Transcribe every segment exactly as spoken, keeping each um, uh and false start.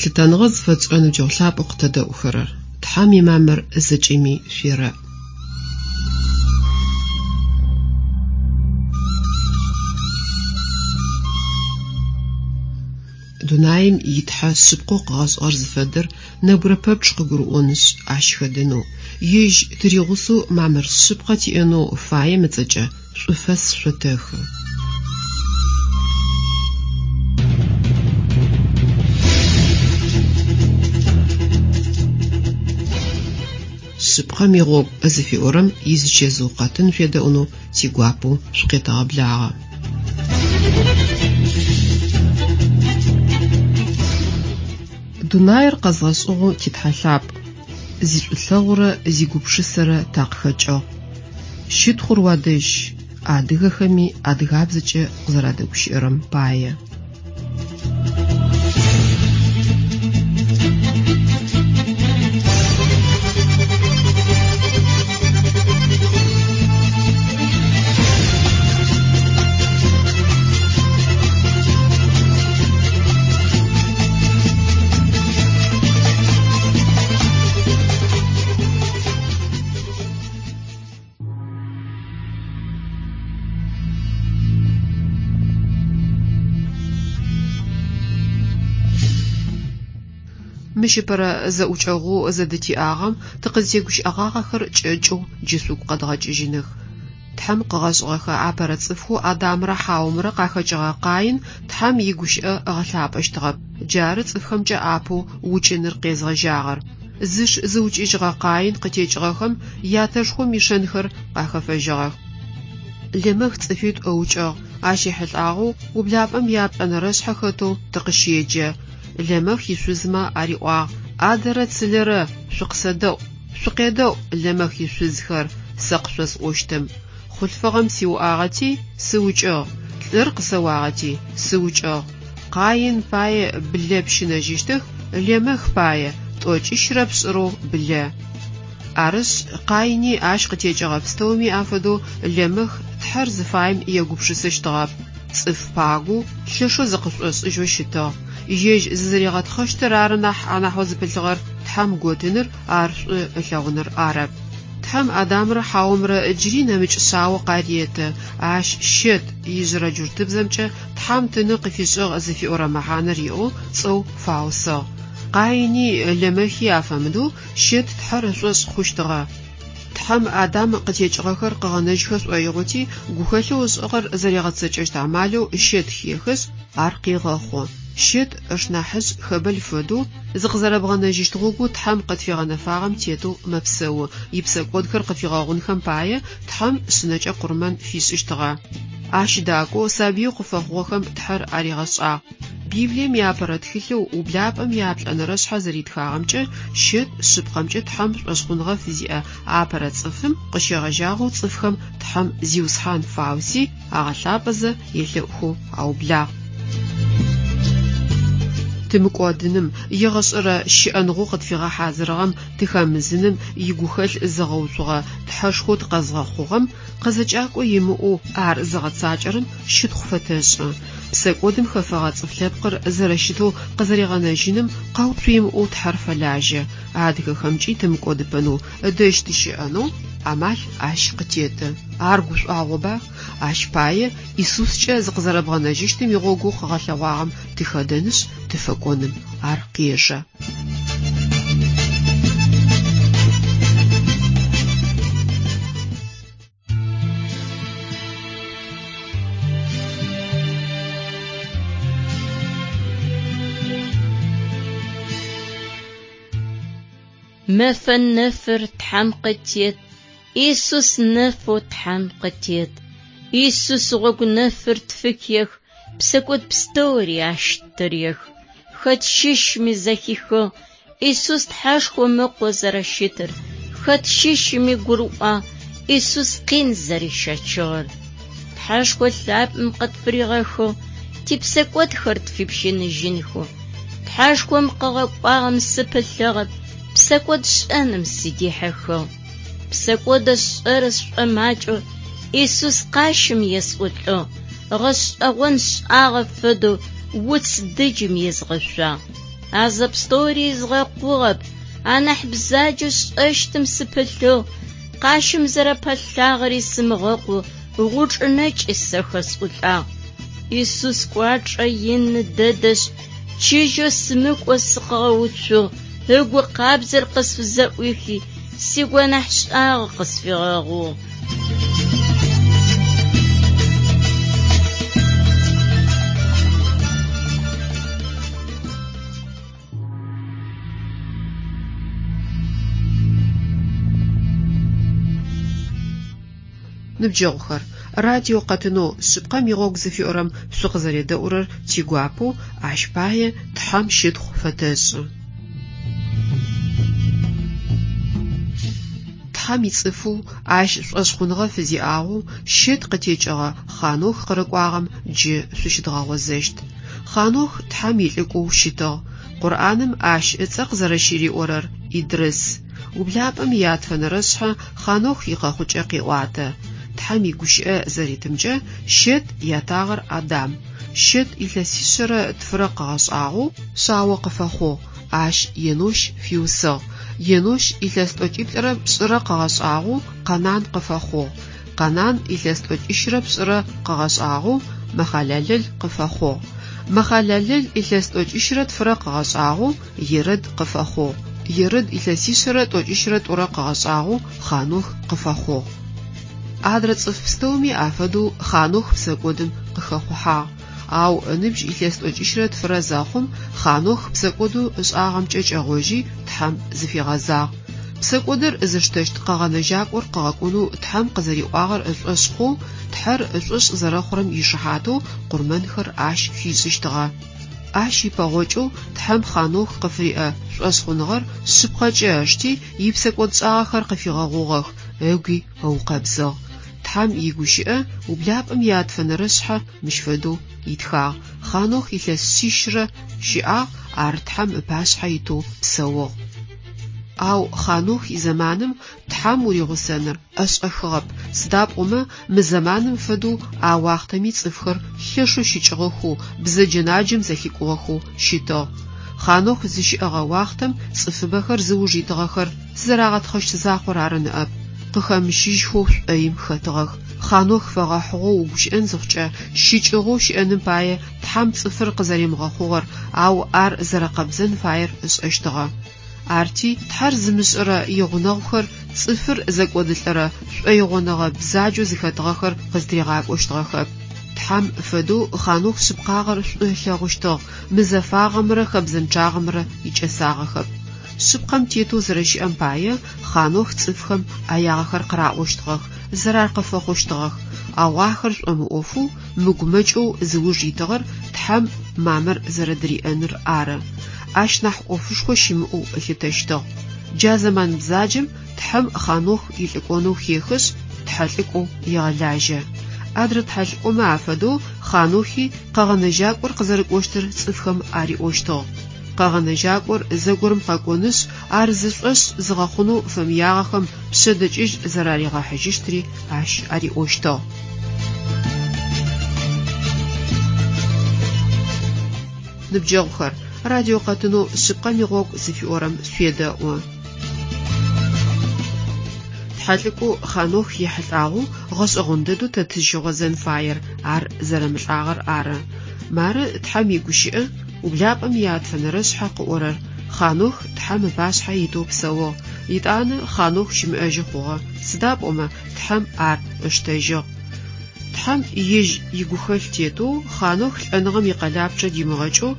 Лъытэныгъэ зыфэтшӏырэ ныбджэгъу лъапӏэу къытэдэӏухэрэр, Тхьэм имамыр зэкӏэми шъуерэӏ. Дунаим итхьэ шъыпкъэу къыгъэшӏыгъэр зыфэдэр нэбгырэ пэпчъ къыгурыӏонышъ, ащ хэдэнэу, ежь тыригъусэу мамыр шъыпкъэ тиӏэнэу фаем ыцӏэкӏэ шӏуфэс шъотэхы. Шъыпкъэм игъогу зыфиӏорэм изычэзыу къэтын шъуедэӏунэу тигуапэу шъукъетэгъэблагъэ. Дунаир къэзгъэшӏыгъэу титхьэ лъапӏ, зишӏулъэгъурэ зигупшысэрэ такъыхэкӏыгъ. Щытхъур уадэжь, адыгэхэми адыгабзэкӏэ къызэрадэгущыӏэрэм пае. Мыщ ыпэрэ зэӏукӏэгъоу зэдытиӏагъэм тыкъызтегущыӏэгъагъэхэр кӏэкӏэу джы шъугу къэдгъэкӏыжьыных. Тхьэм къыгъэшӏыгъэхэ апэрэ цӏыфхэу Адамрэ Хьаомрэ къахэкӏыгъэ Къаин Тхьэм игущыӏэ ыгъэлъапӏэщтыгъэп. Джары цӏыфхэмкӏэ апэу укӏыныр къезгъэжьагъэр. Зыш зыукӏыжьыгъэ Къаин къытекӏыгъэхэм ятэшхом ишэнхэр къахэфэжьыгъэх. Лэмэх цӏыфитӏу ыукӏыгъ. Ащ ехьылӏагъэу ублапӏэм яплӏэнэрэ шъхьэ хэтэу тыкъыщеджэ. Лэмэх ишъузмэ ариӏуагъ: «Адэрэ цылэрэ шъукъысэдэӏу, шъукъедэӏу, Лэмэх ишъузхэр, сэ къышъосӏощтым. Хъулъфыгъэм сиуӏагъэти сыукӏыгъ, лӏыр къысэуагъэти сыукӏыгъ. Къаин пае блэ пщынэжьыщтых, Лэмэх пае тӏокӏищрэ пшӏырэу блэ». Арышъ, Къаини ащ къытекӏыгъэ пстэуми афэдэу Лэмэх Тхьэр зыфаем егупшысэщтыгъэп. Цӏыф пагоу, лъэшэу зыкъышӏошӏыжьэу щытыгъ. Ежь зызэригъэтхъэщтыр ары нахь анахьэу зыпылъыгъэр Тхьэм готыныр, ар шӏу ылъэгъуныр арэп. Тхьэм Адамрэ Хьаомрэ джыри нэмыкӏ шъао къареты. Ащ Щэт ижъырэ джуртыбзэмкӏэ Тхьэм тыны къыфишӏыгъ зыфиӏорэ мэхьанэр иӏэу цӏэу фаусыгъ. Къаини Лэмэхи афэмыдэу Щэт Тхьэр ышӏошъ хъущтыгъэ. Тхьэм Адам къытекӏыгъэхэр къыгъэнэжьхэ шӏоигъоти, гухэлъэу ышӏыгъэр зэригъэцэкӏэщт амалэу Щэт хехышъ, ар къегъэхъу. Щэт ышнахьыжъ Хэбэл фэдэу зыкъызэрэбгъэнэжьыщт гъогоу Тхьэм къытфигъэнэфагъэм тетэу мэпсэу. Ипсэкӏодхэр къыфигъэгъунхэм пае Тхьэм шъынэкӏэ къурмэн фишӏыщтыгъэ. Ащ дакӏоу сабыеу къыфэхъугъэхэм Тхьэр аригъэшӏагъ. Библием иапэрэ тхылъэу ублапӏэм яплӏэнэрэ шъхьэ зэритхагъэмкӏэ Щэт шъыпкъэмкӏэ Тхьэм шӏошъхъуныгъэ фызиӏэ апэрэ цӏыфым къыщегъэжьагъэу цӏыфхэм Тхьэм Зиусхьан фауси агъэлъапӏэзэ елъэӏухэу аублагъ. Тымыкӏодыным, егъэшӏэрэ щыӏэныгъэу къытфигъэхьазырыгъэм тыхэмызыным игухэлъ зыгъэуцугъэ Тхьэшхоу тыкъэзгъэхъугъэм къызэкӏакӏо имыӏэу ар зыгъэцакӏэрэм щытхъу фэтэшӏы. Псэкӏодым хэфэгъэ цӏыф лъэпкъыр зэрэщытэу къызэригъэнэжьыным къэуцу имыӏэу Тхьэр фэлажьэ. Адыгэхэмкӏи тымыкӏодыпэнэу, ыдэжь тыщыӏэнэу амал ащ къытеты. Ар гушӏуагъоба? Ащ пае Исускӏэ зыкъызэрэбгъэнэжьыщтым игъогоу къыгъэлъэгъуагъэм тыхэдэнышъ, тыфэкӏоным ар къежэ. Мэфэ нэфыр Тхьэм къытет, Исус нэфэу Тхьэм къытет. Исус гъогу нэфыр тфыхех, псэкӏод пстэури ащ тырех. Хэт щыщми зэхихыгъ Исус Тхьэшхом ыкъо зэрэщытыр, хэт щыщми гурыӏуагъ Исус къин зэрищэчыгъэр. Тхьэшхо лъапӏэм къытфыригъэхыгъ, типсэкӏодхэр тфипщыныжьынхэу. Тхьэшхом къыгъэкӏуагъэм сыпылъыгъэп, псэкӏод шӏэным сыдихьыхыгъ. Псэкӏодэ сшӏэрэ сшӏомакӏэу Исус къащым есӏулӏыгъ, гъэшӏэгъон шӏагъэ фэдэу уц дыджым езгъэшъуагъ. А зэпстэури згъэкъугъэп, анахь бзаджэу сшӏэщтым сыпылъыгъ, къащым зэрэпэлъагъэри сымыгъэкъу, гъучӏынэкӏи сэ хэсӏулӏагъ. Исус кӏуачӏэ ины дэдэшъ, чыжьэу сымыкӏо сыкъыгъэуцугъ, ыгу къабзэр къысфызэӏуихи, сигонахь шӏагъэ къысфигъэгъугъ. Ныбджэгъухэр, радио къэтынэу шъыпкъэм игъогу зыфиӏорэм шъукъызэредэӏурэр тигуапэу ащ пае Тхьэм щытхъу фэтэшӏы. Тхьэм ицӏыфэу ащ шӏошъхъуныгъэ фызиӏагъэу Щэт къытекӏыгъэ Хъанох къырыкӏуагъэм джы шъущыдгъэгъозэщт. Хъанох Тхьэм илӏыкӏоу щытыгъ. Къурӏаным ащ ыцӏэ къызэрэщыриӏорэр Идрыс. Ублапӏэм ятфэнэрэшъхьэ Хъанох икъэхъукӏэ къеӏуатэ. Тхьэм игущыӏэ зэритымкӏэ Щэт ятагъэр Адам. Щэт илъэсишъэрэ тфырэ къыгъэшӏагъэу шъао къыфэхъугъ, ащ Енощ фиусыгъ. Енощ илъэс тӏокӏиплӏырэ пшӏырэ къыгъэшӏагъэу Къэнан къыфэхъугъ. Къэнан илъэс тӏокӏищрэ пшӏырэ къыгъэшӏагъэу Мэхъалэлэл къыфэхъугъ. Мэхъалэлэл илъэс тӏокӏищрэ тфырэ къыгъэшӏагъэу Ерэд къыфэхъугъ. Ерэд илъэсишъэрэ тӏокӏищрэ тӏурэ къыгъэшӏагъэу Хъанох къыфэхъугъ. Адрэ цӏыф пстэуми афэдэу Хъанох псэкӏодым къыхэхъухьагъ. Ау ыныбжь илъэс тӏокӏищрэ тфырэ зэхъум Хъанох псэкӏодэу ышӏагъэмкӏэ кӏэгъожьи Тхьэм зыфигъэзагъ. Псэкӏодыр зыштэщт къэгъэнэжьакӏор къыгъэкӏонэу Тхьэм къызэриӏуагъэр ышӏошъ хъоу, Тхьэр ышӏошъ зэрэхъурэм ишыхьатэу къурмэнхэр ащ фишӏыщтыгъэ. Ащ ипэгъокӏэу Тхьэм Хъанох къыфыриӏэ шӏошъхъуныгъэр шъыпкъэкӏэ ышти, ипсэкӏодшӏагъэхэр къыфигъэгъугъэх, ыгуи ыукъэбзыгъ. Тхьэм игущыӏэ ублапӏэм ятфэнэрэшъхьэ мыщ фэдэу итхагъ. Хъанох илъэс шъищрэ щыӏагъ, ар Тхьэм ыпашъхьэ итэу псэугъ. Ау Хъанох изэманым Тхьэм уригъусэныр ӏэшӏэхыгъэп, сыда пӏомэ мы зэманым фэдэу а уахътэми цӏыфхэр лъэшэу щыкӏыгъэхэу, бзэджэ-наджэм зэлъикӏугъэхэу щытыгъ. Хъанох зыщыӏэгъэ уахътэм цӏыфыбэхэр зыуж итыгъэхэр зызэрагъэтхъэщт закъор ары ныӏэп. Къыхэмыщыжьхэу шӏоим хэтыгъэх. Хъанох фэгъэхьыгъэу угущыӏэн зыхъукӏэ, щыкӏыгъэу щыӏэным пае Тхьэм цӏыфыр къызэримыгъэхъугъэр, ау ар зэрэкъэбзэн фаер ышӏэщтыгъэ. Арти Тхьэр зымышӏэрэ игъунэгъухэр цӏыфыр зэкӏодылӏэрэ шӏоигъоныгъэ бзаджэу зыхэтыгъэхэр къыздыригъакӏощтыгъэхэп. Тхьэм фэдэу Хъанох шъыпкъагъэр шӏу ылъэгъущтыгъ, мызэфагъэмрэ хэбзэнчъагъэмрэ икӏэсагъэхэп. Шъыпкъэм тетэу зэрэщыӏэм пае Хъанох цӏыфхэм ӏэягъэхэр къыраӏощтыгъэх, зэрар къыфэхъущтыгъэх, ау ахэр шӏомыӏофэу, мыгумэкӏэу зыуж итыгъэр Тхьэм мамыр зэрэдыриӏэныр ары. Ащ нахь ӏофышхо щымыӏэу ылъытэщтыгъ. Джа зэман бзаджэм Тхьэм Хъанох илӏыкӏонэу хехышъ, тхьэлӏыкӏоу егъэлажьэ. Адрэ тхьэлӏыкӏомэ афэдэу Хъанохи къэгъэнэжьакӏор къызэрыкӏощтыр цӏыфхэм ариӏощтыгъ. Къэгъэнэжьакӏор зэгорэм къэкӏонышъ, ар зышӏошъ зыгъэхъунэу фэмыягъэхэм пшъэдэкӏыжь зэраригъэхьыжьыщтри ащ ариӏощтыгъ. Ныбджэгъухэр, радио къэтынэу шъыпкъэм игъогу зыфиӏорэм шъуедэӏу. Тхьэлӏыкӏоу Хъанох ехьылӏагъэу гъэшӏэгъон дэдэу тэ тызщыгъозэн фаер ар зэрэмылӏагъэр ары. Мары Тхьэм игущыӏэ ублапӏэм ятфэнэрэшъхьэ къыӏорэр. Хъанох Тхьэм ыпашъхьэ итэу псэугъ. Итӏанэ Хъанох щымыӏэжьы хъугъэ. Сыда пӏомэ Тхьэм ар ыштэжьыгъ. Тхьэм ежь игухэлъ тетэу Хъанох лӏэныгъэм икъэлапчъэ димыгъэкӏэу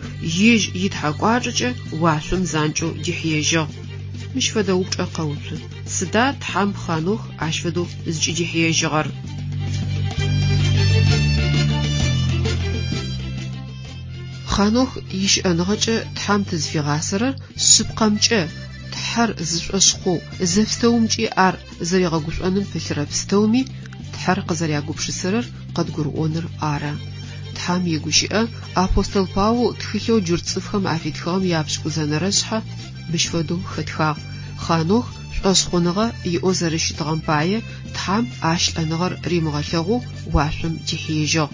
ежь итхьэкӏуачӏэкӏэ уашъом занкӏэу дихьыежьыгъ. Мыщ фэдэ упчӏэ къэуцу. Сыда Тхьэм Хъанох ащ фэдэу зыкӏыдихьыежьыгъэр? Хъанох ищыӏэныгъэкӏэ Тхьэм тызфигъасэрэр шъыпкъэмкӏэ Тхьэр зышӏошъ хъоу, зэпстэумкӏи ар зэригъэгушӏоным пылъырэ пстэуми Тхьэр къызэрягупшысэрэр къыдгурыӏоныр ары. Тхьэм игущыӏэ апостол Паул тхылъэу джурт цӏыфхэм афитхыгъэм япшӏыкӏузэнэрэшъхьэ мыщ фэдэу хэтхагъ. Хъанох шӏошъхъуныгъэ иӏэу зэрэщытыгъэм пае Тхьэм ащ лӏэныгъэр римыгъэлъэгъоу уашъом дихьыежьыгъ.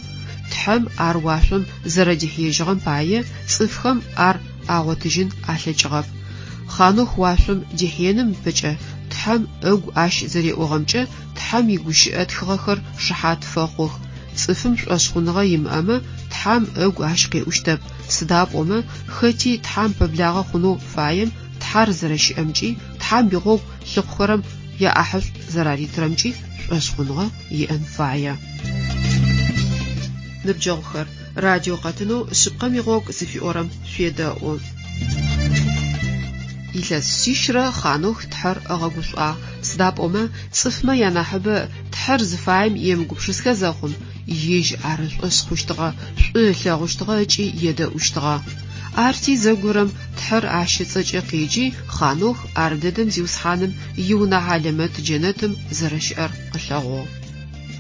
Тхьэм ар уашъом зэрэдихьыежьыгъэм пае цӏыфхэм ар агъотыжьын алъэкӏыгъэп. Хъанох уашъом дихьеным ыпэкӏэ Тхьэм ыгу ащ зэреӏугъэмкӏэ Тхьэм игущыӏэ тхыгъэхэр шыхьат фэхъух. Цӏыфым шӏошъхъуныгъэ имыӏэмэ, Тхьэм ыгу ащ къеӏущтэп, сыда пӏомэ хэти Тхьэм пэблагъэ хъунэу фаем Тхьэр зэрэщыӏэмкӏи, Тхьэм игъогу лъыхъухэрэм яӏахьышӏу зэраритырэмкӏи шӏошъхъуныгъэ иӏэн фае. Ныбджэгъухэр, радио къэтынэу Шъыпкъэм игъогу зыфиӏорэм шъуедэӏу. Илъэс шъищрэ Хъанох Тхьэр ыгъэгушӏуагъ, сыда пӏомэ цӏыфмэ янахьыбэ Тхьэр зыфаем емыгупшысхэ зэхъум, ежь ар ышӏошъ хъущтыгъэ, шӏу ылъэгъущтыгъэ ыкӏи едэӏущтыгъэ. Арти зэгорэм Тхьэр ащ ыцӏэкӏэ къеджи, Хъанох ар дэдэм Зиусхьаным иунэ хьалэмэт джэнэтым зэрэщыӏэр къылъэгъугъ.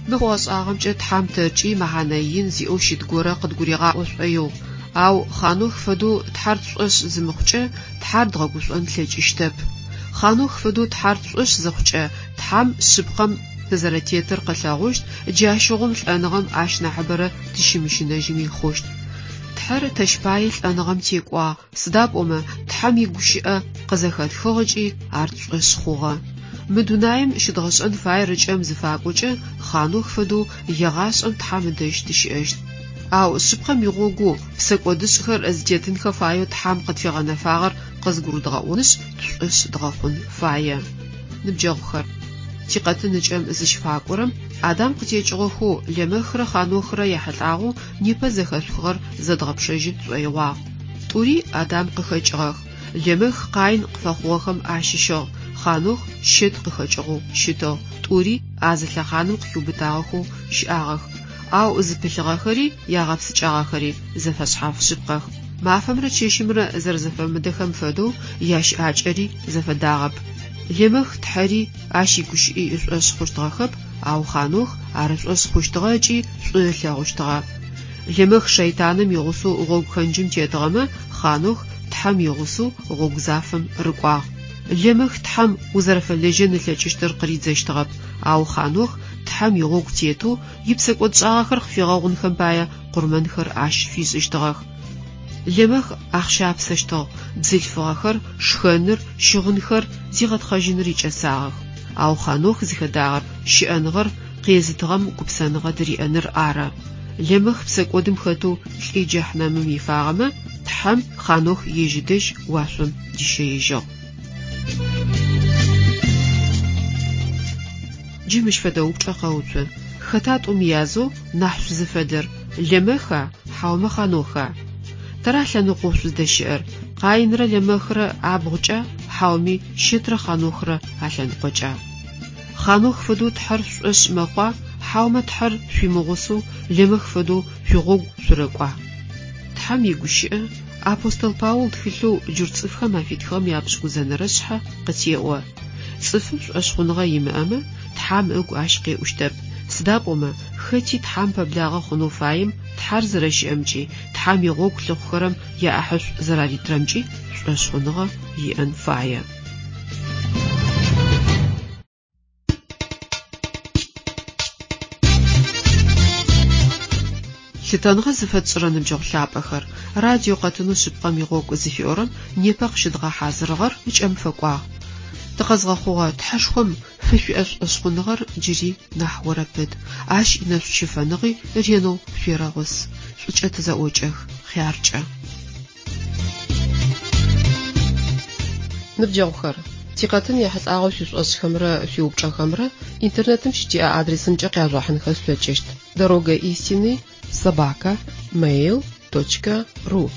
Мы хъугъэ-шӏагъэмкӏэ Тхьэм тэркӏи мэхьанэ ин зиӏэу щыт горэ къыдгуригъаӏо шӏоигъу. Ау Хъанох фэдэу Тхьэр тшӏошъ зымыхъукӏэ, Тхьэр дгъэгушӏон тлъэкӏыщтэп. Хъанох фэдэу Тхьэр тшӏошъ зыхъукӏэ, Тхьэм шъыпкъэм тызэрэтетыр къылъэгъущт, джащыгъум лӏэныгъэм ащ нахьыбэрэ тыщымыщынэжьыми хъущт. Тхьэр тэщ пае лӏэныгъэм текӏуагъ, сыда пӏомэ Тхьэм игущыӏэ къызэхэтхыгъ ыкӏи ар тшӏошъ хъугъэ. Мы дунаим щыдгъэшӏэн фаер ыкӏэм зыфакӏокӏэ Хъанох фэдэу егъашӏэм Тхьэм ыдэжь тыщыӏэщт. Ау шъыпкъэм игъогоу псэкӏодышӏхэр зытетынхэ фаеу Тхьэм къытфигъэнэфагъэр къызгурыдгъэӏонышъ, тшӏошъ дгъэхъун фае. Ныбджэгъухэр, тикъэтын ыкӏэм зыщыфакӏорэм Адам къытекӏыгъэхэу Лэмэхрэ Хъанохрэ яхьылӏагъэу непэ зэхэшъухыгъэр зэдгъэпшэжьы тшӏоигъуагъ. Тӏури Адам къыхэкӏыгъэх. Лэмэх Къаин къыфэхъугъэхэм ащыщыгъ, Хъанох Щэт къыхэкӏыгъэу щытыгъ. Тӏури а зы лъэхъаным къыхиубытагъэхэу щыӏагъэх. Ау зыпылъыгъэхэри ягъэпсыкӏагъэхэри зэфэшъхьаф шъыпкъэх. Мафэмрэ чэщымрэ зэрэзэфэмыдэхэм фэдэу ящыӏакӏэри зэфэдагъэп. Лэмэх Тхьэри ащ игущыӏи ышӏошъ хъущтыгъэхэп, ау Хъанох ар ышӏошъ хъущтыгъэ ыкӏи шӏу ылъэгъущтыгъэ. Лэмэх шэйтаным игъусэу гъогу пхэнджым тетыгъэмэ, Хъанох Тхьэм игъусэу гъогу зафэм рыкӏуагъ. Лэмэх Тхьэм узэрэфэлэжьэн ылъэкӏыщтыр къыридзэщтыгъэп, ау Хъанох Тхьэм игъогу тетэу ипсэкӏодшӏагъэхэр къыфигъэгъунхэм пае къурмэнхэр ащ фишӏыщтыгъэх. Лэмэх ахъщапсэщтыгъ, бзылъфыгъэхэр, шхэныр, щыгъынхэр зигъэтхъэжьыныр икӏэсагъэх. Ау Хъанох зыхэдагъэр щыӏэныгъэр къезытыгъэм гупсэныгъэ дыриӏэныр ары. Лэмэх псэкӏодым хэтэу лӏи джэхьнэмым ифагъэмэ, Тхьэм Хъанох ежь ыдэжь уашъом дищэежьыгъ. Джы мыщ фэдэ упчӏэ къэуцу. Хэта тӏум язэу нахь шъузыфэдэр? Лэмэха, хьаумэ Хъаноха? Тэра лъэныкъоу шъуздэщыӏэр? Къаинрэ Лэмэхрэ абгъукӏэ, хьауми Щэтрэ Хъанохрэ алъэныкъокӏа? Хъанох фэдэу Тхьэр шъушӏошъ мэхъуа, хьаумэ Тхьэр шъуимыгъусэу Лэмэх фэдэу шъуигъогу шъурэкӏуа? Тхьэм игущыӏэ апостол Паул тхылъэу джурт цӏыфхэм афитхыгъэм япшӏыкӏузэнэрэ шъхьэ къытеӏо. Цӏыфым шӏошъхъуныгъэ имыӏэмэ, Тхьэм ыгу ащ къеӏущтэп. Сыда пӏомэ хэти Тхьэм пэблагъэ хъунэу фаем Тхьэр зэрэщыӏэмкӏи, Тхьэм игъогу лъыхъухэрэм яӏахьышӏу зэраритырэмкӏи шӏошъхъуныгъэ иӏэн фае. Лъытэныгъэ зыфэтшӏырэ ныбджэгъу лъапӏэхэр, радио къэтынэу шъыпкъэм игъогу зыфиӏорэм непэ къыщыдгъэхьазырыгъэр ыкӏэм фэкӏуагъ. Тыкъэзгъэхъугъэ Тхьэшхом фышъуиӏэ шӏошъхъуныгъэр джыри нахь орэпыт, ащ инэшӏу-щыфэныгъи ренэу шъуерэгъус. Шӏукӏэ тызэӏокӏэх, хъяркӏэ. Ныбджэгъухэр, тикъэтын ехьылӏагъэу шъуишӏошъхэмрэ шъуиупчӏэхэмрэ интернетым щытиӏэ адресымкӏэ къяжъугъэхьынхэ шъулъэкӏыщт: дорога истины собака mail точка ру.